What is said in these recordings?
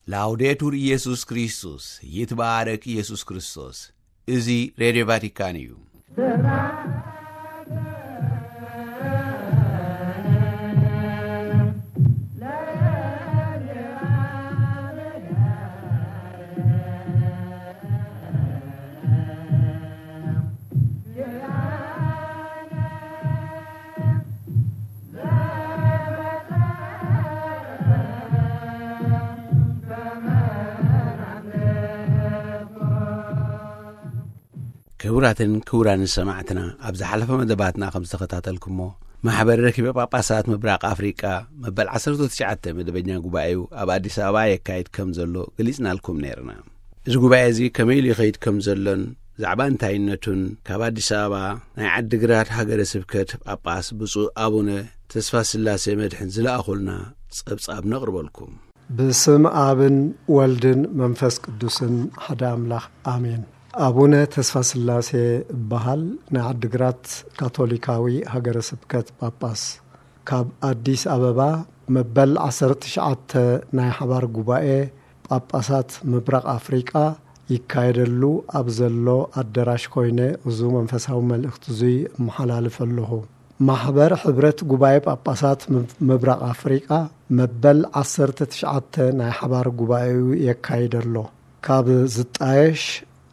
ላውዴቱር ኢየሱስ ክርስቶስ፣ ይትባረክ ኢየሱስ ክርስቶስ። እዚ ሬድዮ ቫቲካን እዩ። ክቡራትን ክቡራን ሰማዕትና፣ ኣብ ዝሓለፈ መደባትና ከም ዝተኸታተልኩሞ፣ ማሕበር ረኪበ ጳጳሳት ምብራቕ ኣፍሪቃ መበል ዓሰርተ ትሽዓተ መደበኛ ጉባኤኡ ኣብ ኣዲስ ኣበባ የካይድ ከም ዘሎ ገሊጽናልኩም ነይርና። እዚ ጉባኤ እዚ ከመይ ኢሉ ይኸይድ ከም ዘሎን ብዛዕባ እንታይነቱን፣ ካብ ኣዲስ ኣበባ ናይ ዓዲግራት ሃገረ ስብከት ጳጳስ ብፁዕ ኣቡነ ተስፋ ስላሴ መድሕን ዝለኣኹልና ጸብጻብ ነቕርበልኩም። ብስም ኣብን ወልድን መንፈስ ቅዱስን ሓደ ኣምላኽ ኣሜን። ኣቡነ ተስፋ ስላሴ እበሃል፣ ናይ ዓዲግራት ካቶሊካዊ ሃገረ ስብከት ጳጳስ። ካብ ኣዲስ ኣበባ መበል ዓሰርተ ትሽዓተ ናይ ሓባር ጉባኤ ጳጳሳት ምብራቕ ኣፍሪቃ ይካየደሉ ኣብ ዘሎ ኣደራሽ ኮይነ፣ እዚ መንፈሳዊ መልእኽቲ እዙይ እመሓላልፍ ኣለኹ። ማሕበር ሕብረት ጉባኤ ጳጳሳት ምብ-፣ ምብራቕ ኣፍሪቃ መበል ዓሰርተ ትሽዓተ ናይ ሓባር ጉባኤኡ የካይድ ኣሎ። ካብ ዝጣየሽ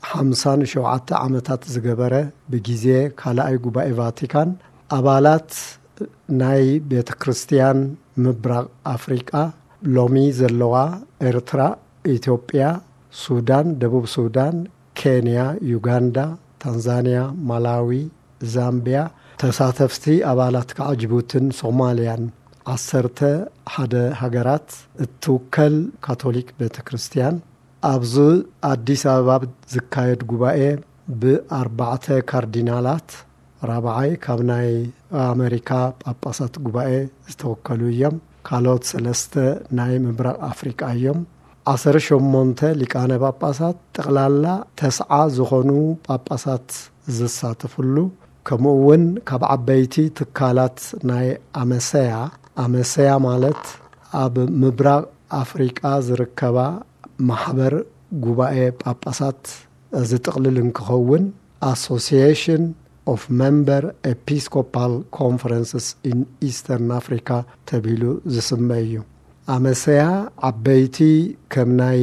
ሓምሳን ሸውዓተ ዓመታት ዝገበረ፣ ብግዜ ካልኣይ ጉባኤ ቫቲካን፣ ኣባላት ናይ ቤተ ክርስቲያን ምብራቕ ኣፍሪቃ፣ ሎሚ ዘለዋ ኤርትራ፣ ኢትዮጵያ፣ ሱዳን፣ ደቡብ ሱዳን፣ ኬንያ፣ ዩጋንዳ፣ ታንዛንያ፣ ማላዊ፣ ዛምቢያ፣ ተሳተፍቲ ኣባላት ከዓ ጅቡትን ሶማልያን፣ ዓሰርተ ሓደ ሃገራት እትውከል ካቶሊክ ቤተ ክርስቲያን፣ ኣብዚ ኣዲስ ኣበባ ዝካየድ ጉባኤ ብኣርባዕተ ካርዲናላት፣ ራብዓይ ካብ ናይ ኣሜሪካ ጳጳሳት ጉባኤ ዝተወከሉ እዮም። ካልኦት ሰለስተ ናይ ምብራቕ ኣፍሪቃ እዮም። ዓሰርተ ሸሞንተ ሊቃነ ጳጳሳት፣ ጠቕላላ ተስዓ ዝኾኑ ጳጳሳት ዝሳተፍሉ፣ ከምኡ እውን ካብ ዓበይቲ ትካላት ናይ ኣመሰያ፣ ኣመሰያ ማለት ኣብ ምብራቕ ኣፍሪቃ ዝርከባ ማሕበር ጉባኤ ጳጳሳት ዝጥቕልል እንክኸውን፣ Association of Member Episcopal Conferences in Eastern Africa ተባሂሉ ዝስመ እዩ። ኣመሰያ ዓበይቲ ከም ናይ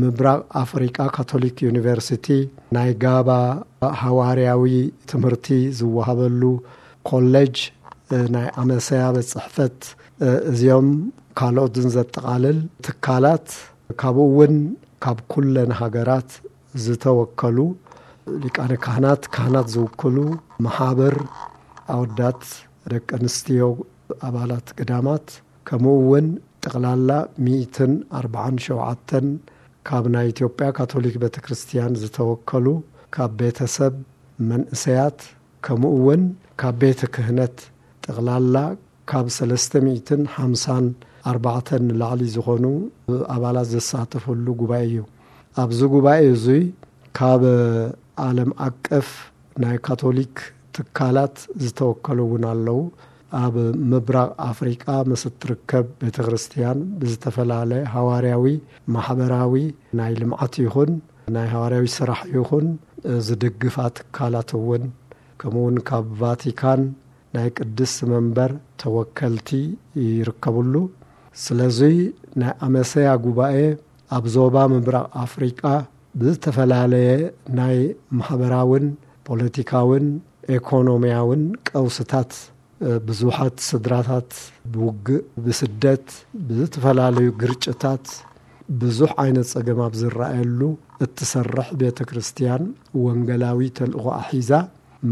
ምብራቕ ኣፍሪቃ ካቶሊክ ዩኒቨርሲቲ፣ ናይ ጋባ ሃዋርያዊ ትምህርቲ ዝወሃበሉ ኮሌጅ፣ እ፣ ናይ ኣመሰያ ቤት ጽሕፈት፣ እ፣ እዚኦም ካልኦትን ዘጠቓልል ትካላት፣ ካብኡ እውን ካብ ኩለን ሃገራት ዝተወከሉ ሊቃነ ካህናት፣ ካህናት ዝውክሉ ማሓብር ኣወዳት፣ ደቂ ኣንስትዮ፣ ኣባላት ገዳማት፣ ከምኡ እውን ጠቕላላ ሚእትን ኣርባዓን ሸውዓተን ካብ ናይ ኢትዮጵያ ካቶሊክ ቤተ ክርስቲያን ዝተወከሉ፣ ካብ ቤተሰብ፣ መንእሰያት፣ ከምኡ እውን ካብ ቤተ ክህነት፣ ጠቕላላ ካብ ሰለስተ ሚእትን ሓምሳን ኣርባዕተን ንላዕሊ ዝኾኑ ኣባላት ዘሳተፈሉ ጉባኤ እዩ። ኣብዚ ጉባኤ እዙይ ካብ ዓለም ኣቀፍ ናይ ካቶሊክ ትካላት ዝተወከሉ እውን ኣለዉ። ኣብ ምብራቕ ኣፍሪቃ ምስ እትርከብ ቤተ ክርስቲያን ብዝተፈላለየ ሃዋርያዊ፣ ማሕበራዊ፣ ናይ ልምዓት ይኹን ናይ ሃዋርያዊ ስራሕ ይኹን ዝድግፋ ትካላት እውን፣ ከምኡ እውን ካብ ቫቲካን ናይ ቅድስቲ መንበር ተወከልቲ ይርከብሉ። ስለዙይ ናይ ኣመሰያ ጉባኤ ኣብ ዞባ ምብራቕ ኣፍሪቃ ብዝተፈላለየ ናይ ማሕበራውን ፖለቲካውን ኤኮኖሚያውን ቀውስታት፣ ብዙሓት ስድራታት ብውግእ፣ ብስደት፣ ብዝተፈላለዩ ግርጭታት ብዙሕ ዓይነት ጸገም ኣብ ዝረኣየሉ እትሰርሕ ቤተ ክርስቲያን ወንጌላዊ ተልእኾኣ ሒዛ፣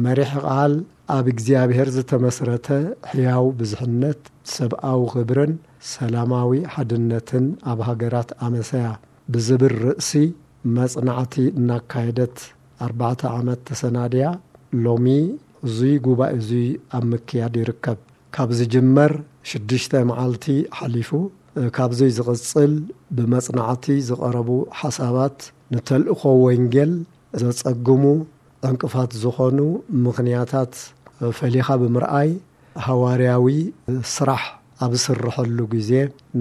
መሪሕ ቃል ኣብ እግዚኣብሔር ዝተመስረተ ሕያው ብዝሕነት፣ ሰብኣዊ ክብርን ሰላማዊ ሓድነትን ኣብ ሃገራት ኣመሰያ ብዝብል ርእሲ መጽናዕቲ እናካየደት ኣርባዕተ ዓመት ተሰናድያ፣ ሎሚ እዙይ ጉባኤ እዙይ ኣብ ምክያድ ይርከብ። ካብ ዝጅመር ሽዱሽተ መዓልቲ ሓሊፉ፣ ካብዙይ ዝቕጽል ብመጽናዕቲ ዝቐረቡ ሓሳባት ንተልእኾ ወንጌል ዘጸግሙ ዕንቅፋት ዝኾኑ ምኽንያታት ፈሊኻ ብምርኣይ፣ ሃዋርያዊ ስራሕ ኣብ ዝስርሐሉ ግዜ፣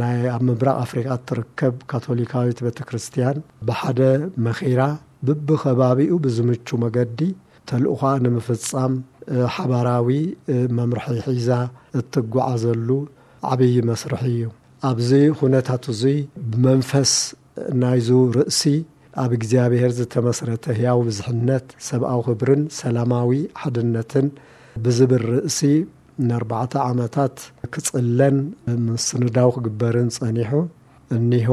ናይ ኣብ ምብራቕ ኣፍሪቃ እትርከብ ካቶሊካዊት ቤተ ክርስቲያን ብሓደ መኺራ፣ ብብኸባቢኡ ብዝምቹ መገዲ ተልእኾኣ ንምፍጻም፣ እ፣ ሓባራዊ፣ እ፣ መምርሒ ሒዛ እትጓዓዘሉ ዓብዪ መስርሕ እዩ። ኣብዚ ኩነታት እዙይ ብመንፈስ ናይዙ ርእሲ ኣብ እግዚኣብሔር ዝተመስረተ ህያው ብዝሕነት፣ ሰብኣዊ ክብርን ሰላማዊ ሓድነትን ብዝብል ርእሲ ንኣርባዕተ ዓመታት ክጽለን ምስንዳው ክግበርን ጸኒሑ። እኒሆ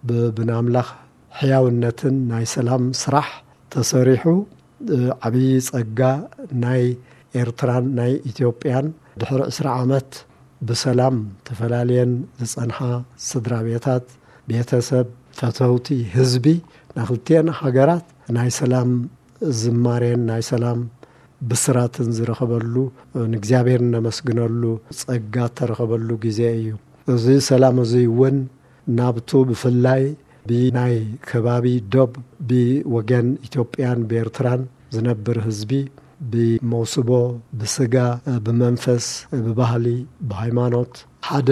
ብ-፣ ብናምላኽ ሕያውነትን ናይ ሰላም ስራሕ ተሰሪሑ፣ እ፣ ዓብዪ ጸጋ ናይ ኤርትራን ናይ ኢትዮጵያን ድሕሪ ዕስራ ዓመት ብሰላም ተፈላልየን ዝጸንሓ ስድራ ቤታት፣ ቤተሰብ፣ ፈተውቲ ህዝቢ ናይ ክልቲኤን ሃገራት ናይ ሰላም ዝማሬን ናይ ሰላም ብስራትን ዝረኸበሉ፣ ንእግዚኣብሔር እነመስግነሉ ጸጋ እተረኸበሉ ግዜ እዩ። እዚ ሰላም እዚ እውን ናብቱ ብፍላይ ብናይ ከባቢ ዶብ ብወገን ኢትዮጵያን ብኤርትራን ዝነብር ህዝቢ ብመውስቦ፣ ብስጋ፣ ብመንፈስ፣ ብባህሊ፣ ብሃይማኖት ሓደ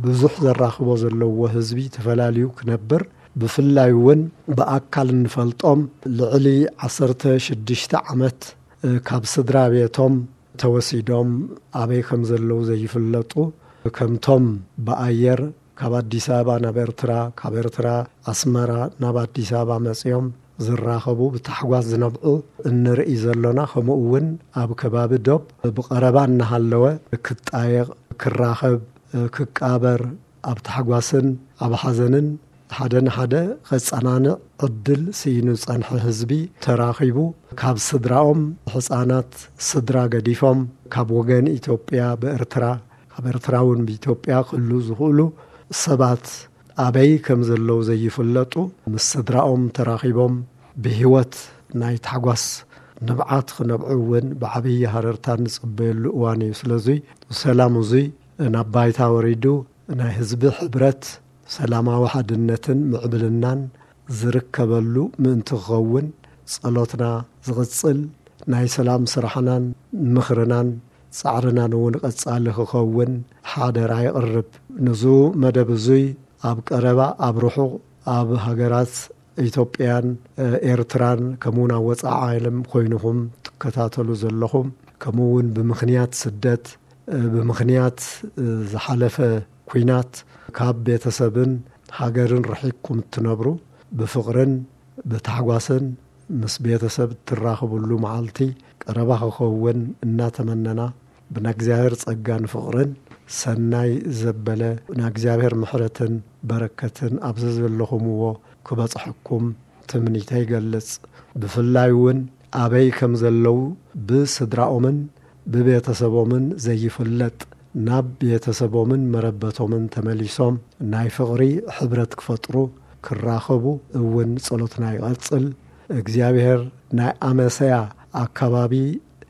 ብዙሕ ዘራኽቦ ዘለዎ ህዝቢ ተፈላልዩ ክነብር፣ ብፍላይ እውን ብኣካል እንፈልጦም ልዕሊ ዓሰርተ ሽዱሽተ ዓመት ካብ ስድራ ቤቶም ተወሲዶም ኣበይ ከም ዘለዉ ዘይፍለጡ፣ ከምቶም ብኣየር ካብ ኣዲስ ኣበባ ናብ ኤርትራ፣ ካብ ኤርትራ ኣስመራ ናብ ኣዲስ ኣበባ መጺኦም ዝራኸቡ፣ ብታሕጓስ ዝነብዑ እንርኢ ዘሎና፣ ከምኡ እውን ኣብ ከባቢ ዶብ ብቐረባ እናሃለወ ክጣየቕ፣ ክራኸብ፣ ክቃበር፣ ኣብ ታሕጓስን ኣብ ሓዘንን ሓደ ንሓደ ከጸናንዕ ዕድል ስኢኑ ዝጸንሐ ህዝቢ ተራኺቡ፣ ካብ ስድራኦም ሕጻናት ስድራ ገዲፎም፣ ካብ ወገን ኢትዮጵያ ብኤርትራ፣ ካብ ኤርትራ እውን ብኢትዮጵያ ክህሉ ዝኽእሉ ሰባት ኣበይ ከም ዘለዉ ዘይፍለጡ፣ ምስ ስድራኦም ተራኺቦም ብህይወት ናይ ታሕጓስ ንብዓት ክነብዑ እውን ብዓብዪ ሃረርታ እንጽበየሉ እዋን እዩ። ስለዙይ ሰላም እዙይ ናብ ባይታ ወሪዱ ናይ ህዝቢ ሕብረት፣ ሰላማዊ ሓድነትን ምዕብልናን ዝርከበሉ ምእንቲ ክኸውን ጸሎትና ዝቕጽል፣ ናይ ሰላም ስራሕናን ምኽርናን ጻዕርናን እውን ቀጻሊ ክኸውን ሓደራ የቕርብ። ንዙ መደብ እዙይ ኣብ ቀረባ፣ ኣብ ርሑቕ፣ ኣብ ሃገራት ኢትዮጵያን፣ እ፣ ኤርትራን፣ ከምኡውን ኣብ ወጻኢ ዓለም ኮይንኹም ትከታተሉ ዘለኹም፣ ከምኡውን ብምኽንያት ስደት፣ እ፣ ብምኽንያት፣ እ፣ ዝሓለፈ ኲናት ካብ ቤተሰብን ሃገርን ርሒቅኩም እትነብሩ፣ ብፍቕርን ብታሕጓስን ምስ ቤተሰብ እትራኸብሉ መዓልቲ ቀረባ ክኸውን እናተመነና፣ ብናእግዚኣብሔር ጸጋን ፍቕርን ሰናይ ዘበለ ናእግዚኣብሔር ምሕረትን በረከትን ኣብዚ ዘለኹምዎ ክበጽሐኩም ትምኒተይ ይገልጽ። ብፍላይ እውን ኣበይ ከም ዘለዉ ብስድራኦምን ብቤተሰቦምን ዘይፍለጥ፣ ናብ ቤተሰቦምን መረበቶምን ተመሊሶም ናይ ፍቕሪ ሕብረት ክፈጥሩ፣ ክራኸቡ እውን ጸሎትና ይቐጽል። እግዚኣብሔር ናይ ኣመሰያ ኣካባቢ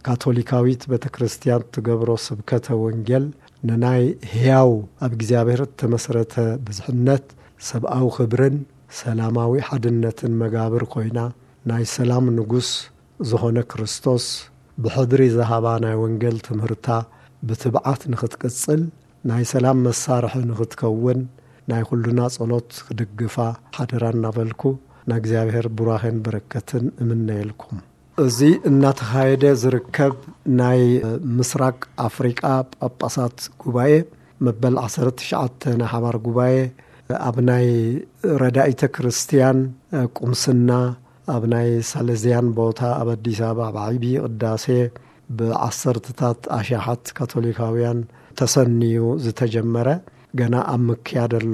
ካቶሊካዊት ቤተ ክርስቲያን ትገብሮ ስብከተ ወንጌል ንናይ ሕያው ኣብ እግዚኣብሔር እተመስረተ ብዝሕነት፣ ሰብኣዊ ክብርን ሰላማዊ ሓድነትን መጋብር ኮይና፣ ናይ ሰላም ንጉስ ዝኾነ ክርስቶስ ብሕድሪ ዝሃባ ናይ ወንጌል ትምህርታ ብትብዓት ንኽትቅጽል፣ ናይ ሰላም መሳርሒ ንኽትከውን ናይ ኩሉና ጸሎት ክድግፋ ሓደራ እናበልኩ፣ ንእግዚኣብሔር ቡራኼን በረከትን እምነየልኩም። እዚ እናተኻየደ ዝርከብ ናይ ምስራቅ ኣፍሪቃ ጳጳሳት ጉባኤ መበል ዓሰርተ ትሽዓተ ናይ ሓባር ጉባኤ ኣብ ናይ ረዳኢተ ክርስቲያን ቁምስና ኣብ ናይ ሳሌዝያን ቦታ ኣብ ኣዲስ ኣበባ ኣብ ዓብዪ ቅዳሴ ብዓሰርተታት ኣሽሓት ካቶሊካውያን ተሰንዩ ዝተጀመረ ገና ኣብ ምክያድ ኣሎ።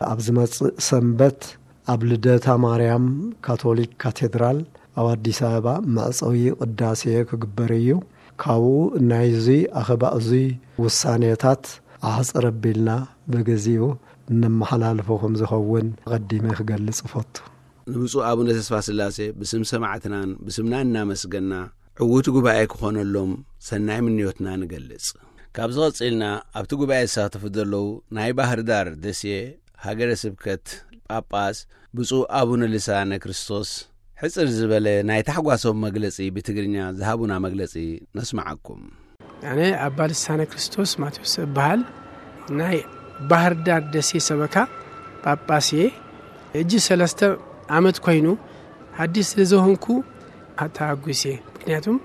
ኣብ ዝመጽእ ሰንበት ኣብ ልደታ ማርያም ካቶሊክ ካቴድራል ኣብ ኣዲስ ኣበባ መዕጸዊ ቅዳሴ ክግበር እዩ። ካብኡ ናይዚ ኣኼባ እዙይ ውሳኔታት ኣሕጽር ኣቢልና ብግዚኡ እነመሓላልፎ ከም ዝኸውን ኣቐዲመ ክገልጽ እፈቱ። ንብፁዕ ኣቡነ ተስፋ ስላሴ ብስም ሰማዕትናን ብስምና እናመስገና፣ ዕዉት ጉባኤ ክኾነሎም ሰናይ ምንዮትና ንገልጽ። ካብዚ ቐጺልና ኣብቲ ጉባኤ ዝሳተፉ ዘለዉ ናይ ባህር ዳር ደሴ ሃገረ ስብከት ጳጳስ ብፁዕ ኣቡነ ልሳነ ክርስቶስ ሕጽር ዝበለ ናይ ታሕጓሶም መግለጺ ብትግርኛ ዝሃቡና መግለጺ ነስምዓኩም። ኣነ ኣባ ልሳነ ክርስቶስ ማቴዎስ እበሃል። ናይ ባህር ዳር ደሴ ሰበካ ጳጳስ እየ። እጂ ሰለስተ ዓመት ኮይኑ ሓዲሽ ስለ ዝኾንኩ ተሓጒስ እየ። ምክንያቱም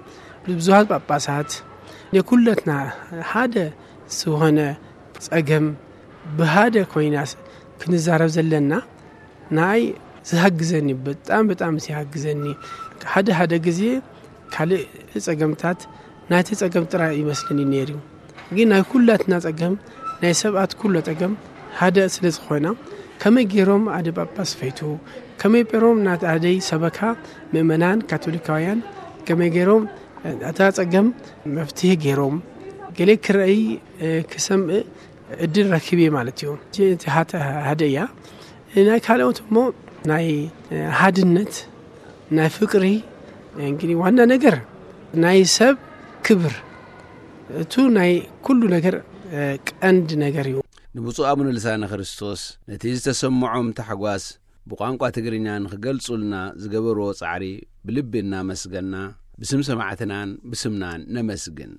ብዙሃት ጳጳሳት ንኩለትና ሓደ ዝኾነ ጸገም ብሃደ ኮይና ክንዛረብ ዘለና ንኣይ ዝሃግዘኒ፣ በጣም በጣም ዝሃግዘኒ። ሓደ ሓደ ግዜ ካልእ ጸገምታት ናይቲ ጸገም ጥራይ ይመስለኒ ነይሩ። ግን ናይ ኩላትና ጸገም፣ ናይ ሰባት ኩሎ ጸገም ሓደ ስለ ዝኾነ፣ ከመይ ገይሮም ኣደ ጳጳስ ፈይቱ፣ ከመይ ገይሮም ናት ኣደይ ሰበካ ምእመናን ካቶሊካውያን፣ ከመይ ገይሮም እታ ጸገም መፍትሒ ገይሮም፣ ገለ ክረኣይ፣ እ፣ ክሰምእ እድል ረኪብ እየ ማለት እዩ። እቲ፣ እቲ ሃተ-፣ ሃደ እያ። ናይ ካልኦት እሞ ናይ፣ እ፣ ሃድነት፣ ናይ ፍቅሪ፣ እንግዲህ ዋና ነገር ናይ ሰብ ክብር፣ እቱ ናይ ኩሉ ነገር፣ እ፣ ቀንድ ነገር እዩ። ንብፁዕ ኣቡነ ልሳነ ክርስቶስ ነቲ ዝተሰምዖም ታሕጓስ ብቋንቋ ትግርኛ ንኽገልጹልና ዝገበርዎ ጻዕሪ ብልቢ እናመስገና፣ ብስም ሰማዕትናን ብስምናን ነመስግን።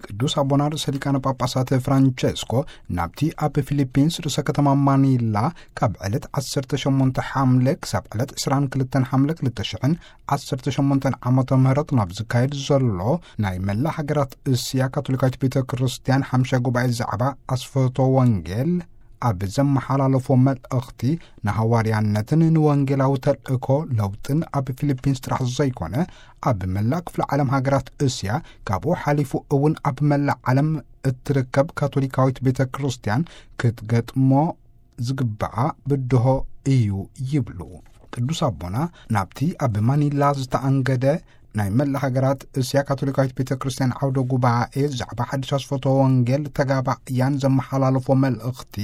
ቅዱስ ኣቦና ርእሰ ሊቃነ ጳጳሳት ፍራንቸስኮ ናብቲ ኣብ ፊሊፒንስ ርእሰ ከተማ ማኒላ ካብ ዕለት ዓሰርተ ሸሞንተ ሓምለ ክሳብ ዕለት ዕስራን ክልተን ሓምለ ክልተ ሽሕን ዓሰርተ ሸሞንተን ዓመተ ምህረት ናብ ዝካየድ ዘሎ ናይ መላእ ሃገራት እስያ ካቶሊካዊት ቤተ ክርስቲያን ሓምሻይ ጉባኤ ዛዕባ ኣስፈቶ ወንጌል ኣብ ዘመሓላለፎ መልእኽቲ፣ ንሃዋርያነትን ንወንጌላዊ ተልእኮ ለውጥን ኣብ ፊሊፒንስ ጥራሕ ዘይኮነ፣ ኣብ መላእ ክፍለ ዓለም ሃገራት እስያ፣ ካብኡ ሓሊፉ እውን ኣብ መላእ ዓለም እትርከብ ካቶሊካዊት ቤተ ክርስቲያን ክትገጥሞ ዝግብኣ ብድሆ እዩ ይብሉ። ቅዱስ ኣቦና ናብቲ ኣብ ማኒላ ዝተኣንገደ ናይ መላእ ሃገራት እስያ ካቶሊካዊት ቤተ ክርስቲያን ዓውደ ጉባኤ ዛዕባ ሓድሽ ኣስፈቶ ወንጌል ተጋባእያን ዘመሓላለፎ መልእኽቲ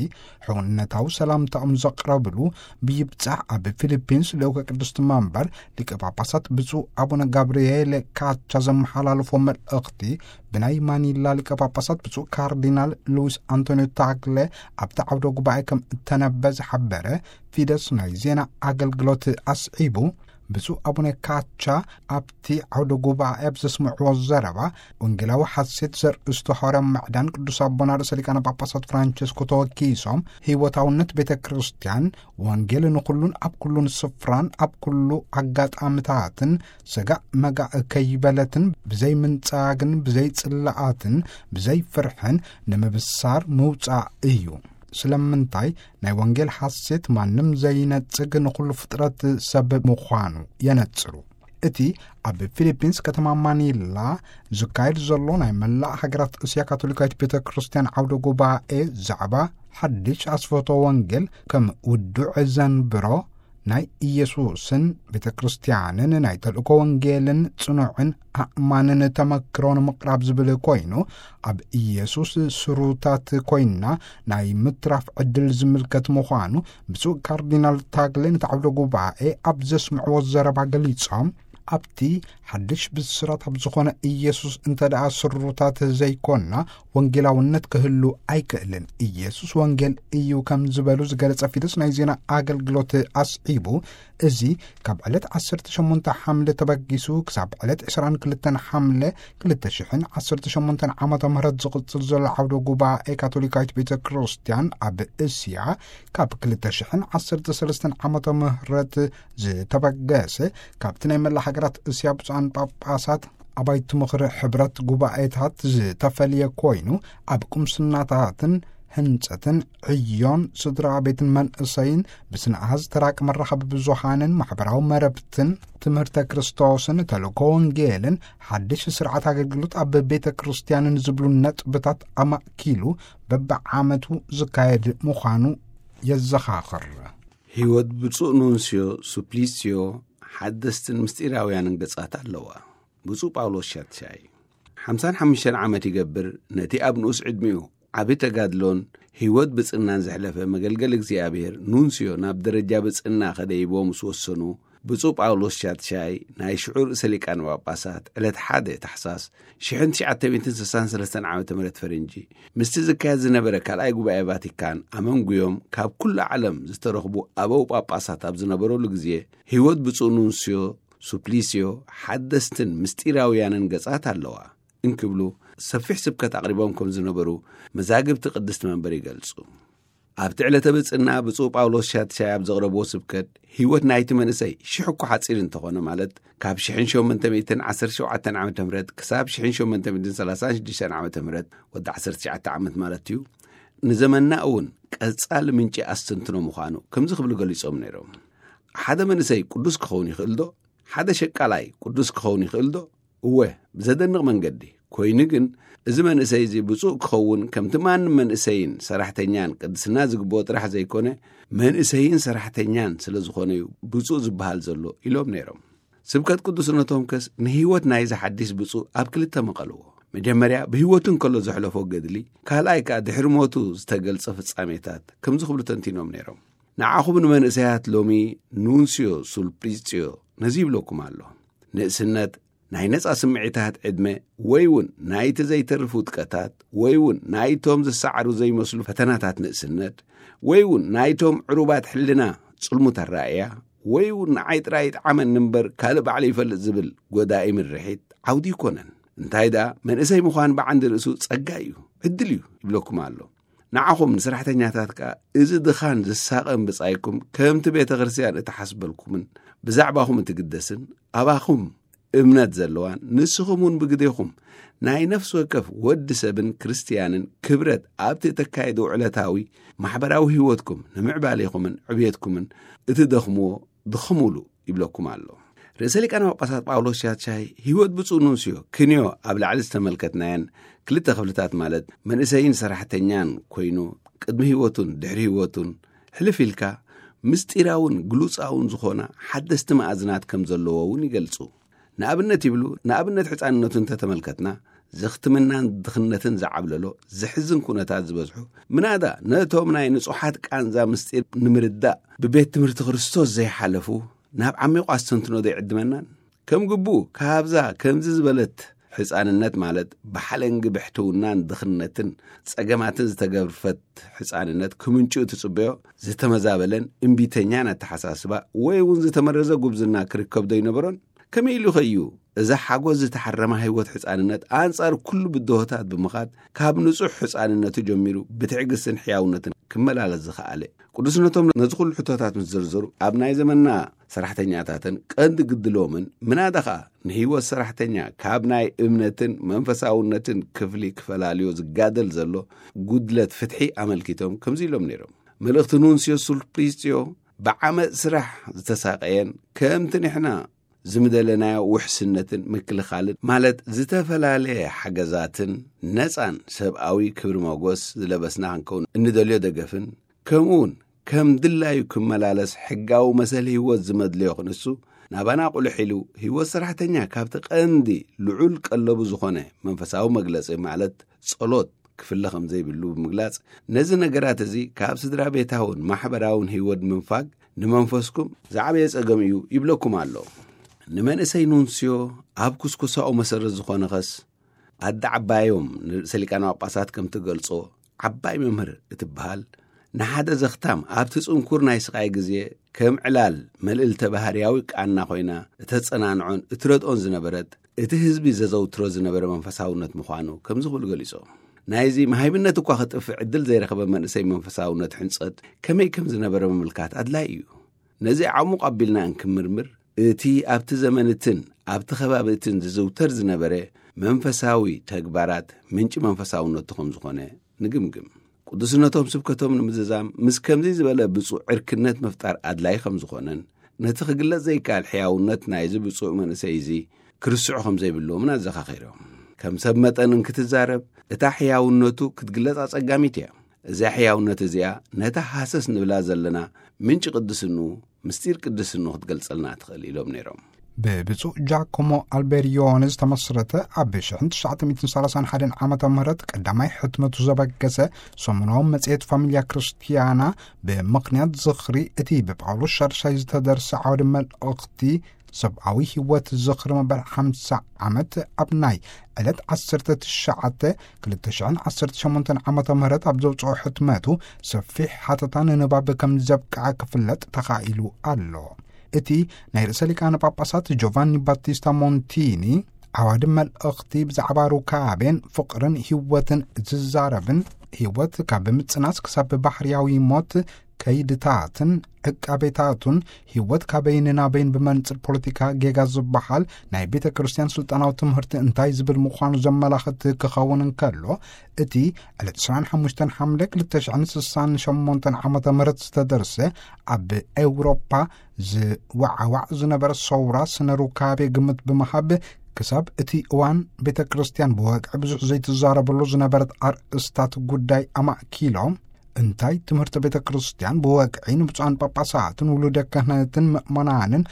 ሕውነታዊ ሰላምታኦም ዘቕረብሉ፣ ብይብጻሕ ኣብ ፊሊፒንስ ልኡከ ቅድስቲ መንበር ሊቀ ጳጳሳት ብፁዕ ኣቡነ ጋብርኤል ካቻ ዘመሓላለፎ መልእኽቲ፣ ብናይ ማኒላ ሊቀ ጳጳሳት ብፁዕ ካርዲናል ሉዊስ ኣንቶኒዮ ታግለ ኣብቲ ዓውደ ጉባኤ ከም እተነበ ዝሓበረ ፊደስ ናይ ዜና ኣገልግሎት ኣስዒቡ፣ ብፁዕ ኣቡነ ካቻ ኣብቲ ዓውደ ጉባኤ ኣብ ዘስምዕዎ ዘረባ፣ ወንጌላዊ ሓሴት ዘርእስቱ ሓዋርያ ምዕዳን ቅዱስ ኣቦና ርእሰ ሊቃነ ጳጳሳት ፍራንቸስኮ ተወኪሶም፣ ህይወታውነት ቤተ ክርስቲያን፣ ወንጌል ንኹሉን ኣብ ኩሉን ስፍራን ኣብ ኩሉ ኣጋጣምታትን፣ ሰጋእ መጋእ ከይበለትን፣ ብዘይ ምንጻግን ብዘይ ጽላኣትን ብዘይ ፍርሕን ንምብሳር ምውጻእ እዩ። ስለምንታይ? ናይ ወንጌል ሓሴት ማንም ዘይነጽግ ንኹሉ ፍጥረት ሰብ ምዃኑ የነጽሩ። እቲ ኣብ ፊሊፒንስ ከተማ ማኒላ ዝካየድ ዘሎ ናይ መላእ ሃገራት እስያ ካቶሊካዊት ቤተ ክርስቲያን ዓውደ ጉባኤ ዛዕባ ሓድሽ ኣስፈቶ ወንጌል ከም ውዱዕ ዘንብሮ ናይ ኢየሱስን ቤተ ክርስቲያንን ናይ ተልእኮ ወንጌልን ጽኑዕን ኣእማንን ተመክሮ ንምቕራብ ዝብል ኮይኑ፣ ኣብ ኢየሱስ ስሩታት ኮይንና ናይ ምትራፍ ዕድል ዝምልከት ምዃኑ ብፁዕ ካርዲናል ታግለ ነቲ ዓውደ ጉባኤ ኣብ ዘስምዕዎ ዘረባ ገሊጾም፣ ኣብቲ ሓድሽ ብስራት ኣብ ዝኾነ ኢየሱስ እንተ ደኣ ስሩታት ዘይኮንና፣ ወንጌላውነት ክህሉ ኣይክእልን። ኢየሱስ ወንጌል እዩ ከም ዝበሉ ዝገለጸ ፊደስ ናይ ዜና ኣገልግሎት ኣስዒቡ፣ እዚ ካብ ዕለት ዓሰርተ ሸሞንተ ሓምለ ተበጊሱ ክሳብ ዕለት ዕስራን ክልተን ሓምለ ክልተ ሽሕን ዓሰርተ ሸሞንተን ዓመተ ምህረት ዝቕጽል ዘሎ ዓውደ ጉባኤ ካቶሊካዊት ቤተ ክርስቲያን ኣብ እስያ፣ ካብ ክልተ ሽሕን ዓሰርተ ሰለስተን ዓመተ ምህረት ዝተበገሰ፣ ካብቲ ናይ መላእ ሃገራት እስያ ብፁዓን ጳጳሳት ኣባይቲ ምኽሪ ሕብረት ጉባኤታት ዝተፈልየ ኮይኑ፣ ኣብ ቁምስናታትን ህንጸትን ዕዮን ስድራ ቤትን መንእሰይን ብስነ ኣሃዝ ተራቂ መራኸቢ ብዙሃንን ማሕበራዊ መረብትን ትምህርተ ክርስቶስን ተልእኮ ወንጌልን ሓድሽ ስርዓት ኣገልግሎት ኣብ ቤተ ክርስቲያንን ዝብሉ ነጥብታት ኣማእኪሉ በብዓመቱ ዝካየድ ምዃኑ የዘኻኽር። ህይወት ብፁዕ ኑንስዮ ሱፕሊስዮ ሓደስትን ምስጢራውያንን ገጻት ኣለዋ። ብፁዕ ጳውሎስ ሻትሻይ ሓምሳን ሓሙሽተን ዓመት ይገብር፣ ነቲ ኣብ ንኡስ ዕድሚኡ ዓቢ ተጋድሎን ህይወት ብጽናን ዘሕለፈ መገልገሊ እግዚኣብሔር ኑንስዮ ናብ ደረጃ ብጽና ከደይቦ ምስ ወሰኑ፣ ብፁዕ ጳውሎስ ሻትሻይ ናይ ሽዑ ርእሰ ሊቃነ ጳጳሳት ዕለት ሓደ ታሕሳስ ሽሕን ትሽዓተ ሚእትን ስሳን ሰለስተን ዓመተ ምህረት ፈረንጂ ምስቲ ዝካየድ ዝነበረ ካልኣይ ጉባኤ ቫቲካን ኣመንጉዮም ካብ ኩሉ ዓለም ዝተረኽቡ ኣበው ጳጳሳት ኣብ ዝነበረሉ ግዜ፣ ህይወት ብፁዕ ኑንስዮ ሱፕሊስዮ ሓደስትን ምስጢራውያንን ገጻት ኣለዋ እንክብሉ ሰፊሕ ስብከት ኣቕሪቦም ከም ዝነበሩ መዛግብቲ ቅድስቲ መንበር ይገልጹ። ኣብቲ ዕለተ ብጽና ብፁዕ ጳውሎስ ሻትሻይ ኣብ ዘቕረብዎ ስብከት፣ ህይወት ናይቲ መንእሰይ ሽሕ እኳ ሓጺር እንተኾነ፣ ማለት ካብ ሽሕን ሸሞንተ ሚእትን ዓሰርተ ሸውዓተን ዓመተ ምህረት ክሳብ ሽሕን ሸሞንተ ሚእትን ሰላሳን ሽዱሽተን ዓመተ ምህረት፣ ወዲ ዓሰርተ ትሽዓተ ዓመት ማለት እዩ፣ ንዘመንና እውን ቀጻሊ ምንጪ ኣስተንትኖ ምዃኑ ከምዚ ክብሉ ገሊጾም ነይሮም። ሓደ መንእሰይ ቅዱስ ክኸውን ይኽእል ዶ? ሓደ ሸቃላይ ቅዱስ ክኸውን ይኽእል ዶ? እወ፣ ብዘደንቕ መንገዲ። ኮይኑ ግን፣ እዚ መንእሰይ እዚ ብፁዕ ክኸውን፣ ከምቲ ማንም መንእሰይን ሰራሕተኛን ቅድስና ዝግብኦ ጥራሕ ዘይኮነ፣ መንእሰይን ሰራሕተኛን ስለ ዝኾነ እዩ ብፁዕ ዝበሃል ዘሎ ኢሎም ነይሮም። ስብከት ቅዱስነቶም ከስ ንህይወት ናይዚ ሓዲስ ብፁዕ ኣብ ክልተ መቐልዎ። መጀመርያ ብህይወቱ እንከሎ ዘሕለፎ ገድሊ፣ ካልኣይ ከኣ ድሕሪ ሞቱ ዝተገልጸ ፍጻሜታት ከምዚ ክብሉ ተንቲኖም ነይሮም። ንዓኹም ንመንእሰያት ሎሚ ኑንስዮ ሱልፕሊጽዮ ነዚ ይብለኩም ኣሎ። ንእስነት ናይ ነጻ ስምዒታት ዕድመ፣ ወይ እውን ናይቲ ዘይተርፍ ውድቀታት፣ ወይ እውን ናይቶም ዝሰዓሩ ዘይመስሉ ፈተናታት ንእስነት፣ ወይ እውን ናይቶም ዕሩባት ሕልና ጽልሙት ኣረኣእያ፣ ወይ እውን ንዓይ ጥራይ ይጥዓመኒ እምበር ካልእ ባዕሉ ይፈልጥ ዝብል ጎዳኢ ምርሒት ዓውዲ ይኮነን። እንታይ ደኣ፣ መንእሰይ ምዃን ብዓንዲ ርእሱ ጸጋ እዩ፣ ዕድል እዩ ይብለኩም ኣሎ። ንዓኹም ንሰራሕተኛታት ከኣ፣ እዚ ድኻን ዝሳቐን ብጻይኩም ከምቲ ቤተ ክርስቲያን እትሓስበልኩምን ብዛዕባኹም እትግደስን፣ ኣባኹም እምነት ዘለዋን፣ ንስኹም እውን ብግዴኹም ናይ ነፍሲ ወከፍ ወዲ ሰብን ክርስትያንን ክብረት ኣብቲ እተካየዱ ዕለታዊ ማሕበራዊ ህይወትኩም ንምዕባሌኹምን ዕብየትኩምን እትደኽምዎ ድኸሙሉ ይብለኩም ኣሎ። ርእሰ ሊቃነ ጳጳሳት ጳውሎስ ሻትሻይ ህይወት ብፁዕ ኑንስዮ ክንዮ ኣብ ላዕሊ ዝተመልከትናየን ክልተ ክፍልታት፣ ማለት መንእሰይን ሰራሕተኛን ኮይኑ፣ ቅድሚ ህይወቱን ድሕሪ ህይወቱን፣ ሕልፍ ኢልካ ምስጢራውን ግሉጻውን ዝኾና ሓደስቲ መኣዝናት ከም ዘለዎ እውን ይገልጹ። ንኣብነት ይብሉ፣ ንኣብነት ሕፃንነቱ እንተተመልከትና፣ ዘኽትምናን ድኽነትን ዝዓብለሎ ዘሕዝን ኩነታት ዝበዝሑ፣ ምናዳ ነቶም ናይ ንጹሓት ቃንዛ ምስጢር ንምርዳእ ብቤት ትምህርቲ ክርስቶስ ዘይሓለፉ፣ ናብ ዓሚቑ ኣስተንትኖ ዘይዕድመናን? ከም ግቡእ ካብዛ ከምዚ ዝበለት ሕፃንነት፣ ማለት ብሓለንጊ ብሕትውናን ድኽነትን ጸገማትን ዝተገርፈት ሕፃንነት፣ ክምንጭኡ ትጽበዮ ዝተመዛበለን እምቢተኛን ኣተሓሳስባ፣ ወይ እውን ዝተመረዘ ጉብዝና ክርከብ ዶ ይነበሮን? ከመይ ኢሉ ኸዩ እዛ ሓጎስ ዝተሓረማ ህይወት ሕፃንነት ኣንጻር ኩሉ ብድሆታት ብምኻድ፣ ካብ ንጹሕ ሕፃንነቱ ጀሚሩ ብትዕግስትን ሕያውነትን ክመላለስ ዝኸኣለ? ቅዱስነቶም ነዚ ኩሉ ሕቶታት ምስ ዘርዘሩ፣ ኣብ ናይ ዘመንና ሰራሕተኛታትን ቀንዲ ግድሎምን፣ ምናዳ ኸኣ ንህይወት ሰራሕተኛ ካብ ናይ እምነትን መንፈሳውነትን ክፍሊ ክፈላልዮ ዝጋደል ዘሎ ጉድለት ፍትሒ ኣመልኪቶም ከምዚ ኢሎም ነይሮም። መልእኽቲ ኑንስዮ ሱልፕሊስዮ ብዓመጽ ስራሕ ዝተሳቐየን፣ ከምቲ ንሕና ዝምደለናዮ ውሕስነትን ምክልኻልን፣ ማለት ዝተፈላለየ ሓገዛትን ነጻን ሰብኣዊ ክብሪ መጎስ ዝለበስና ክንከውን እንደልዮ ደገፍን፣ ከምኡ እውን ከም ድላዩ ክመላለስ ሕጋዊ መሰል ህይወት ዝመድልዮ ክንሱ፣ ናባና ቁልሕ ኢሉ ህይወት ሰራሕተኛ ካብቲ ቀንዲ ልዑል ቀለቡ ዝኾነ መንፈሳዊ መግለጺ፣ ማለት ጸሎት፣ ክፍለ ከም ዘይብሉ ብምግላጽ፣ ነዚ ነገራት እዚ ካብ ስድራ ቤታውን ማሕበራውን ህይወት ምንፋግ ንመንፈስኩም ዝዓበየ ጸገም እዩ ይብለኩም ኣሎ። ንመንእሰይ ኑንስዮ ኣብ ኩስኩሳኡ መሰረት ዝኾነ ኸስ፣ ኣደ ዓባዮም ንርእሰ ሊቃነ ጳጳሳት ከም ትገልጾ፣ ዓባይ መምህር እትበሃል፣ ንሓደ ዘኽታም ኣብቲ ጽንኩር ናይ ስቓይ ግዜ ከም ዕላል መልእልተ ባህርያዊ ቃና ኮይና እተጸናንዖን እትረድኦን ዝነበረት፣ እቲ ህዝቢ ዘዘውትሮ ዝነበረ መንፈሳውነት ምዃኑ ከምዚ ክብሉ ገሊጾም። ናይዚ መሃይምነት እኳ ክጥፍእ ዕድል ዘይረኸበ መንእሰይ መንፈሳውነት ሕንጸት ከመይ ከም ዝነበረ ምምልካት ኣድላይ እዩ። ነዚ ዓሙቕ ኣቢልና እንክምርምር፣ እቲ ኣብቲ ዘመን እትን ኣብቲ ከባቢ እትን ዝዝውተር ዝነበረ መንፈሳዊ ተግባራት ምንጪ መንፈሳውነቱ ከም ዝኾነ ንግምግም። ቅዱስነቶም ስብከቶም ንምዝዛም ምስ ከምዚ ዝበለ ብፁዕ ዕርክነት ምፍጣር ኣድላይ ከም ዝኾነን፣ ነቲ ክግለጽ ዘይከኣል ሕያውነት ናይዚ ብፁዕ መንእሰይ እዚ ክርስዑ ከም ዘይብልዎምን ኣዘኻኺሮም። ከም ሰብ መጠን እንክትዛረብ፣ እታ ሕያውነቱ ክትግለጽ ኣጸጋሚት እያ። እዛ ሕያውነት እዚኣ ነታ ሃሰስ ንብላ ዘለና ምንጪ ቅድስንኡ፣ ምስጢር ቅድስንኡ ክትገልጸልና ትኽእል ኢሎም ነይሮም። ብብፁዕ ጃኮሞ ኣልቤሪዮን ዝተመስረተ፣ ኣብ ሽሕን ትሽዓተ ሚእትን ሰላሳን ሓደን ዓመተ ምህረት ቀዳማይ ሕትመቱ ዘበገሰ ሰሙናዊ መጽሔት ፋሚልያ ክርስትያና፣ ብምኽንያት ዝኽሪ እቲ ብጳውሎስ ሻድሻይ ዝተደርሰ ዓውደ መልእኽቲ ሰብኣዊ ህይወት ዝኽሪ መበል ሓምሳ ዓመት፣ ኣብ ናይ ዕለት ዓሰርተ ትሽዓተ ክልተ ሽሕን ዓሰርተ ሸሞንተን ዓመተ ምህረት ኣብ ዘውፅኦ ሕትመቱ፣ ሰፊሕ ሓተታ ንንባብ ከም ዘብቅዐ ክፍለጥ ተኻኢሉ ኣሎ። እቲ ናይ ርእሰ ሊቃነ ጳጳሳት ጆቫኒ ባቲስታ ሞንቲኒ ዓዋዲ መልእኽቲ ብዛዕባ ሩካቤን ፍቕርን ህይወትን ዝዛረብን፣ ህይወት ካብ ምጽናስ ክሳብ ባህርያዊ ሞት፣ ከይድታትን ዕቃቤታቱን፣ ህይወት ካበይን ናበይን ብመንጽር ፖለቲካ ጌጋ ዝበሃል ናይ ቤተ ክርስቲያን ስልጣናዊ ትምህርቲ እንታይ ዝብል ምዃኑ ዘመላኽት ክኸውን እንከሎ፣ እቲ ዕለት ዕስራን ሓሙሽተን ሓምለ ክልተ ሽሕን ስሳን ሸሞንተን ዓመተ ምህረት ዝተደርሰ፣ ኣብ ኤውሮፓ ዝወዓዋዕ ዝነበረ ሰውራ ስነ ሩካቤ ግምት ብምሃብ፣ ክሳብ እቲ እዋን ቤተ ክርስቲያን ብወግዒ ብዙሕ ዘይትዛረበሉ ዝነበረት ኣርእስታት ጉዳይ ኣማእኪሎም፣ እንታይ ትምህርቲ ቤተ ክርስቲያን ብወግዒ ንብፁዓን ጳጳሳትን ውሉደ ክህነትን ምእመናንን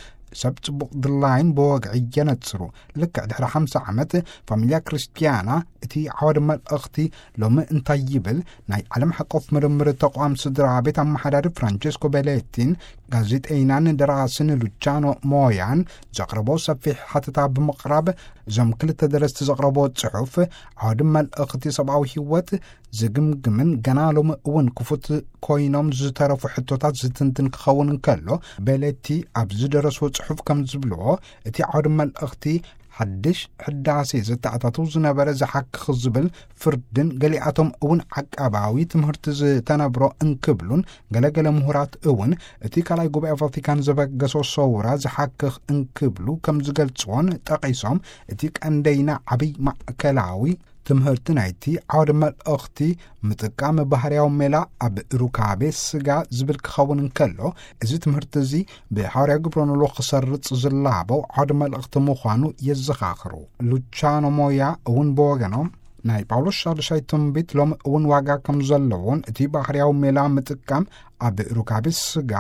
ሰብ ጽቡቕ ድላይን ብወግዒ የነጽሩ። ልክዕ ድሕሪ ሓምሳ ዓመት ፋሚልያ ክርስቲያና እቲ ዓወደ መልእኽቲ ሎሚ እንታይ ይብል? ናይ ዓለም ሓቆፍ ምርምር ተቋም ስድራ ቤት ኣመሓዳሪ ፍራንቸስኮ ቤሌቲን ጋዜጠይናን ደራስን ሉቻኖ ሞያን ዘቕረቦ ሰፊሕ ሓተታ ብምቕራብ፣ እዞም ክልተ ደረስቲ ዘቕረቦ ጽሑፍ ዓወደ መልእኽቲ ሰብኣዊ ህይወት ዝግምግምን ገና ሎሚ እውን ክፉት ኮይኖም ዝተረፉ ሕቶታት ዝትንትን ክኸውን እንከሎ፣ ቤሌቲ ኣብ ዝደረስዎ ጽሑፍ ከም ዝብልዎ፣ እቲ ዓውዲ መልእኽቲ ሓድሽ ሕዳሴ ዘተኣታትው ዝነበረ ዝሓክኽ ዝብል ፍርድን ገሊኣቶም እውን ዓቃባዊ ትምህርቲ ዝተነብሮ እንክብሉን፣ ገለገለ ምሁራት እውን እቲ ካልኣይ ጉባኤ ቫቲካን ዘበገሶ ሰውራ ዝሓክኽ እንክብሉ ከም ዝገልጽዎን ጠቒሶም፣ እቲ ቀንደይና ዓብይ ማእከላዊ ትምህርቲ ናይቲ ዓውደ መልእኽቲ ምጥቃም ባህርያዊ ሜላ ኣብ ሩካቤ ስጋ ዝብል ክኸውን እንከሎ፣ እዚ ትምህርቲ እዚ ብሃዋርያ ግብረ ኖሎ ክሰርጽ ዝላበው ዓውደ መልእኽቲ ምዃኑ የዘኻኽሩ። ሉቻኖ ሞያ እውን ብወገኖም፣ ናይ ጳውሎስ ሻድሻይ ትንቢት ሎም እውን ዋጋ ከም ዘለዎን እቲ ባህርያዊ ሜላ ምጥቃም ኣብ ሩካቤ ስጋ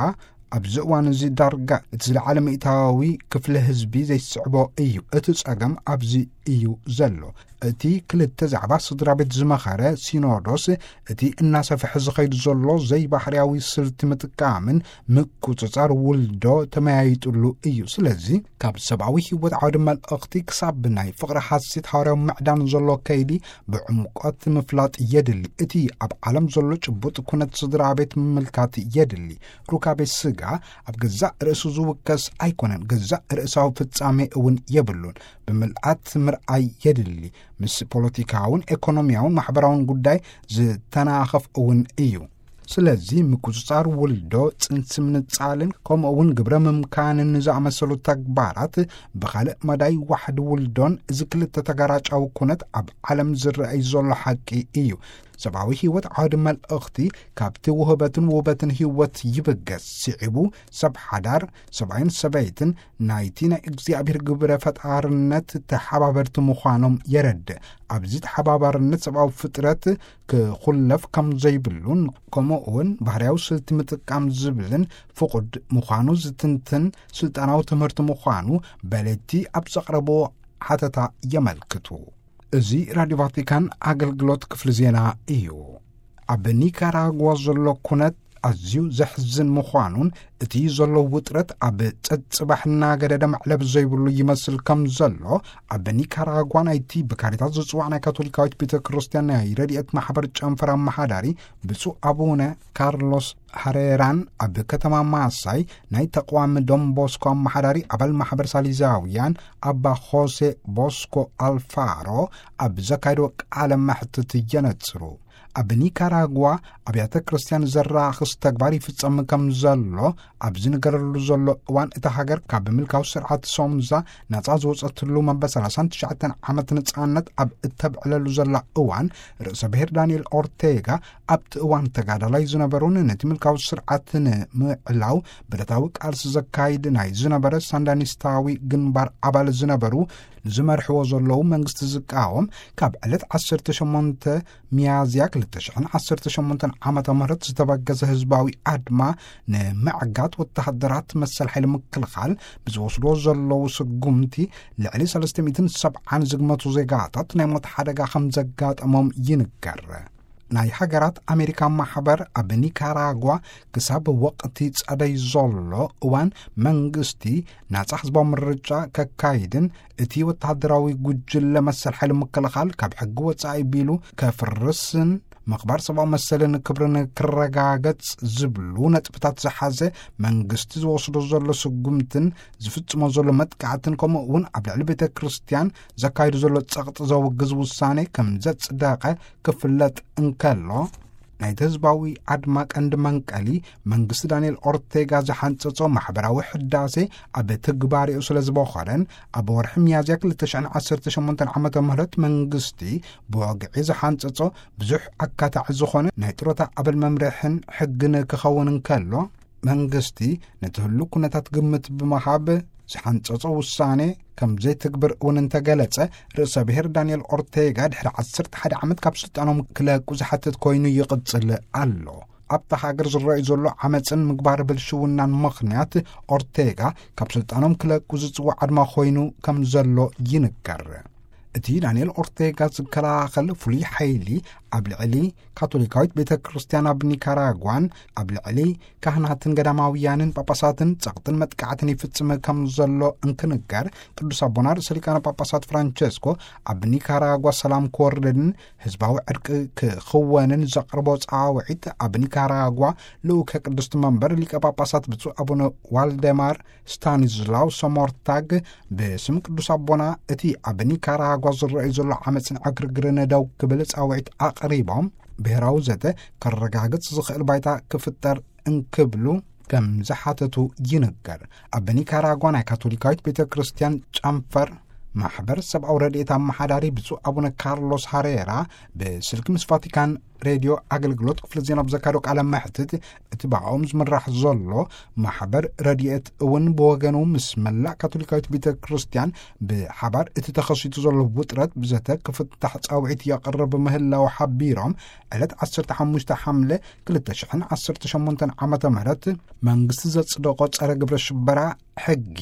ኣብዚ እዋን እዚ ዳርጋ እቲ ዝለዓለ ሚእታዊ ክፍሊ ህዝቢ ዘይስዕቦ እዩ። እቲ ጸገም ኣብዚ እዩ ዘሎ። እቲ ክልተ ዛዕባ ስድራ ቤት ዝመኸረ ሲኖዶስ፣ እቲ እናሰፍሐ ዝኸይድ ዘሎ ዘይባህርያዊ ስልቲ ምጥቃምን ምቁጽጻር ውልዶ ተመያይጥሉ እዩ። ስለዚ ካብ ሰብኣዊ ህይወት ዓውዲ መልእኽቲ ክሳብ ናይ ፍቕሪ ሓሴት ሃዋርያዊ ምዕዳን ዘሎ ከይዲ ብዕምቆት ምፍላጥ የድሊ። እቲ ኣብ ዓለም ዘሎ ጭቡጥ ኩነት ስድራ ቤት ምምልካት የድሊ። ሩካቤ ስጋ ኣብ ገዛእ ርእሱ ዝውከስ ኣይኮነን፣ ገዛእ ርእሳዊ ፍጻሜ እውን የብሉን። ብምልኣት ምርኣይ የድሊ። ምስ ፖለቲካውን ኤኮኖሚያውን ማሕበራውን ጉዳይ ዝተናኸፍ እውን እዩ። ስለዚ ምቁጽጻር ውልዶ፣ ጽንሲ ምንጻልን ከምኡ እውን ግብረ ምምካንን ዝኣመሰሉ ተግባራት ብኻልእ መዳይ ዋሕዲ ውልዶን እዚ ክልተ ተጋራጫዊ ኩነት ኣብ ዓለም ዝረኣይ ዘሎ ሓቂ እዩ። ሰብኣዊ ህይወት ዓውዲ መልእኽቲ ካብቲ ውህበትን ውበትን ህይወት ይብገስ። ስዒቡ ሰብ ሓዳር፣ ሰብኣይን ሰበይትን ናይቲ ናይ እግዚኣብሔር ግብረ ፈጣርነት ተሓባበርቲ ምዃኖም የረድእ። ኣብዚ ተሓባባርነት ሰብኣዊ ፍጥረት ክኹለፍ ከም ዘይብሉን፣ ከምኡ እውን ባህርያዊ ስልቲ ምጥቃም ዝብልን ፍቑድ ምዃኑ ዝትንትን ስልጣናዊ ትምህርቲ ምዃኑ በለቲ ኣብ ዘቕረቦ ሓተታ የመልክቱ። እዚ ራድዮ ቫቲካን ኣገልግሎት ክፍሊ ዜና እዩ። ኣብ ኒካራጓ ዘሎ ኩነት ኣዝዩ ዘሕዝን ምዃኑን፣ እቲ ዘሎ ውጥረት ኣብ ጸጽባሕ እናገደደ መዕለብ ዘይብሉ ይመስል ከም ዘሎ፣ ኣብ ኒካራጓ ናይቲ ብካሪታስ ዝጽዋዕ ናይ ካቶሊካዊት ቤተ ክርስቲያን ናይ ረድኤት ማሕበር ጨንፈር ኣመሓዳሪ ብፁዕ ኣቡነ ካርሎስ ሃሬራን፣ ኣብ ከተማ ማሳይ ናይ ተቋም ዶን ቦስኮ ኣመሓዳሪ ኣባል ማሕበር ሳሊዛውያን ኣባ ሆሴ ቦስኮ ኣልፋሮ ኣብ ዘካየዶ ቃለ መሕትት የነጽሩ። ኣብ ኒካራጓ ኣብያተ ክርስቲያን ዘራኽስ ተግባር ይፍጸም ከም ዘሎ ኣብ ዝንገረሉ ዘሎ እዋን፣ እታ ሃገር ካብ ምልካዊ ስርዓት ሶምዛ ናጻ ዝወጸትሉ መበል ሰላሳን ትሽዓተን ዓመት ነጻነት ኣብ እተብዕለሉ ዘላ እዋን፣ ርእሰ ብሔር ዳንኤል ኦርቴጋ ኣብቲ እዋን ተጋዳላይ ዝነበሩን ነቲ ምልካዊ ስርዓት ንምዕላው ብረታዊ ቃልሲ ዘካይድ ናይ ዝነበረ ሳንዳኒስታዊ ግንባር ኣባል ዝነበሩ፣ ንዝመርሕዎ ዘለዉ መንግስቲ ዝቃወም፣ ካብ ዕለት ዓሰርተ ሸሞንተ ሚያዝያ ክልተ ሽሕን ዓሰርተ ሸሞንተን ዓመተ ምህረት ዝተበገሰ ህዝባዊ ኣድማ ንምዕጋት ወተሃደራት መሰል ሓይሊ ምክልኻል ብዝወስድዎ ዘለዉ ስጉምቲ ልዕሊ ሰለስተ ሚእትን ሰብዓን ዝግመቱ ዜጋታት ናይ ሞት ሓደጋ ከም ዘጋጠሞም ይንገር። ናይ ሃገራት ኣሜሪካ ማሕበር ኣብ ኒካራጓ ክሳብ ወቕቲ ጸደይ ዘሎ እዋን መንግስቲ ናጻ ህዝባዊ ምርጫ ከካይድን እቲ ወተሃደራዊ ጉጅለ መሰል ሓይሊ ምክልኻል ካብ ሕጊ ወጻኢ ቢሉ ከፍርስን ምኽባር ሰብኣዊ መሰልን ክብርን ክረጋገጽ ዝብሉ ነጥብታት ዝሓዘ መንግስቲ ዝወስዶ ዘሎ ስጉምትን ዝፍጽሞ ዘሎ መጥቃዕትን፣ ከምኡ እውን ኣብ ልዕሊ ቤተ ክርስቲያን ዘካይዱ ዘሎ ጸቕጢ ዘውግዝ ውሳኔ ከም ዘጽደቐ ክፍለጥ እንከሎ፣ ናይቲ ህዝባዊ ኣድማ ቀንዲ መንቀሊ መንግስቲ ዳንኤል ኦርቴጋ ዝሓንጸጾ ማሕበራዊ ሕዳሴ ኣብ ትግባሬኡ ስለ ዝበኾረን፣ ኣብ ወርሒ ሚያዝያ ክልተ ሽሕን ዓሰርተ ሸሞንተን ዓመተ ምህረት መንግስቲ ብወግዒ ዝሓንጸጾ ብዙሕ ኣካታዒ ዝኾነ ናይ ጥሮታ ኣበል መምርሕን ሕግን ክኸውን እንከሎ፣ መንግስቲ ነቲ ህሉ ኩነታት ግምት ብምሃብ ዝሓንጸጾ ውሳኔ ከም ዘይትግብር እውን እንተገለጸ፣ ርእሰ ብሔር ዳንኤል ኦርቴጋ ድሕሪ ዓሰርተ ሓደ ዓመት ካብ ስልጣኖም ክለቁ ዝሓትት ኮይኑ ይቕጽል ኣሎ። ኣብታ ሃገር ዝረኣዩ ዘሎ ዓመፅን ምግባር ብልሽውናን ምኽንያት ኦርቴጋ ካብ ስልጣኖም ክለቁ ዝጽዋዕ ኣድማ ኮይኑ ከም ዘሎ ይንገር። እቲ ዳንኤል ኦርቴጋ ዝከላኸል ፍሉይ ሓይሊ ኣብ ልዕሊ ካቶሊካዊት ቤተ ክርስቲያን ኣብ ኒካራጓን ኣብ ልዕሊ ካህናትን ገዳማውያንን ጳጳሳትን ጸቕጥን መጥቃዕትን ይፍጽም ከም ዘሎ እንክንገር፣ ቅዱስ ኣቦና ርእሰ ሊቃነ ጳጳሳት ፍራንቸስኮ ኣብ ኒካራጓ ሰላም ክወርድን ህዝባዊ ዕርቂ ክኽወንን ዘቕርቦ ጻውዒት፣ ኣብ ኒካራጓ ልኡከ ቅድስቲ መንበር ሊቀ ጳጳሳት ብፁዕ ኣቡነ ዋልደማር ስታኒስላው ሶሞርታግ ብስም ቅዱስ ኣቦና እቲ ኣብ ኒካራጓ ዝረኣዩ ዘሎ ዓመፅን ዕግርግርን ደው ክብል ጻውዒት ኣቕሪቦም፣ ብሔራዊ ዘተ ከረጋግጽ ዝኽእል ባይታ ክፍጠር እንክብሉ ከም ዝሓተቱ ይንገር። ኣብ ኒካራጓ ናይ ካቶሊካዊት ቤተ ክርስቲያን ጨንፈር ማሕበር ሰብኣዊ ረድኤት ኣመሓዳሪ ብፁዕ ኣቡነ ካርሎስ ሃሬራ ብስልኪ ምስ ቫቲካን ሬድዮ ኣገልግሎት ክፍሊ ዜና ብዘካየዶ ቃለ መሕትት፣ እቲ ብኣኦም ዝምራሕ ዘሎ ማሕበር ረድኤት እውን ብወገኑ ምስ መላእ ካቶሊካዊት ቤተ ክርስቲያን ብሓባር እቲ ተኸሲቱ ዘሎ ውጥረት ብዘተ ክፍታሕ ጻውዒት የቕርብ ምህላው ሓቢሮም፣ ዕለት ዓሰርተ ሓሙሽተ ሓምለ ክልተ ሽሕን ዓሰርተ ሸሞንተን ዓመተ ምህረት መንግስቲ ዘጽደቆ ጸረ ግብረ ሽበራ ሕጊ፣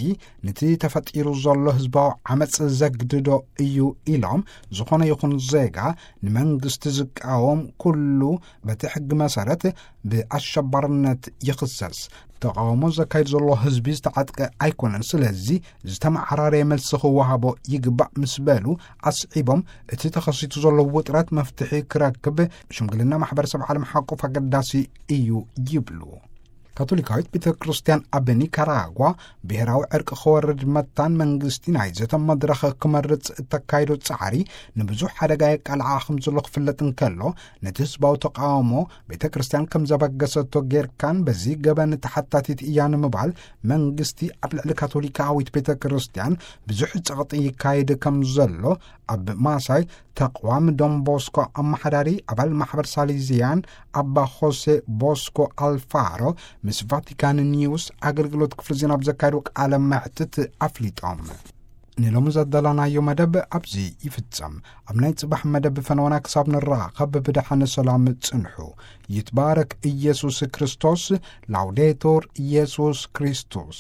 ነቲ ተፈጢሩ ዘሎ ህዝባዊ ዓመጽ ዘግድዶ እዩ ኢሎም፣ ዝኾነ ይኹን ዜጋ ንመንግስቲ ዝቃወም ኩሉ በቲ ሕጊ መሰረት ብኣሸባርነት ይኽሰስ። ተቃውሞ ዘካይድ ዘሎ ህዝቢ ዝተዓጥቀ ኣይኮነን፣ ስለዚ ዝተመዓራረየ መልሲ ክወሃቦ ይግባእ ምስ በሉ ኣስዒቦም፣ እቲ ተኸሲቱ ዘሎ ውጥረት መፍትሒ ክረክብ ሽምግልና ማሕበረሰብ ዓለም ሓቁፍ ኣገዳሲ እዩ ይብሉ። ካቶሊካዊት ቤተ ክርስቲያን ኣብ ኒካራጓ ብሔራዊ ዕርቂ ክወርድ መታን መንግስቲ ናይ ዘተ መድረኽ ክመርጽ እተካይዶ ጻዕሪ ንብዙሕ ሓደጋ የቃልዓ ከም ዘሎ ክፍለጥ እንከሎ፣ ነቲ ህዝባዊ ተቃውሞ ቤተ ክርስቲያን ከም ዘበገሰቶ ጌርካን በዚ ገበን ተሓታቲት እያ ንምባል መንግስቲ ኣብ ልዕሊ ካቶሊካዊት ቤተ ክርስቲያን ብዙሕ ጸቕጢ ይካየድ ከም ዘሎ ኣብ ማሳይ ተቕዋም ዶን ቦስኮ ኣመሓዳሪ ኣባል ማሕበር ሳሊዚያን ኣባ ሆሴ ቦስኮ ኣልፋሮ ምስ ቫቲካን ኒውስ ኣገልግሎት ክፍሊ ዜና ብዘካየዱ ቃለ መሕትት ኣፍሊጦም። ንሎሚ ዘዳለናዮ መደብ ኣብዚ ይፍጸም። ኣብ ናይ ጽባሕ መደብ ፈነወና ክሳብ ንራኸብ ብደሓን ሰላም ጽንሑ። ይትባረክ ኢየሱስ ክርስቶስ። ላውዴቱር ኢየሱስ ክርስቶስ።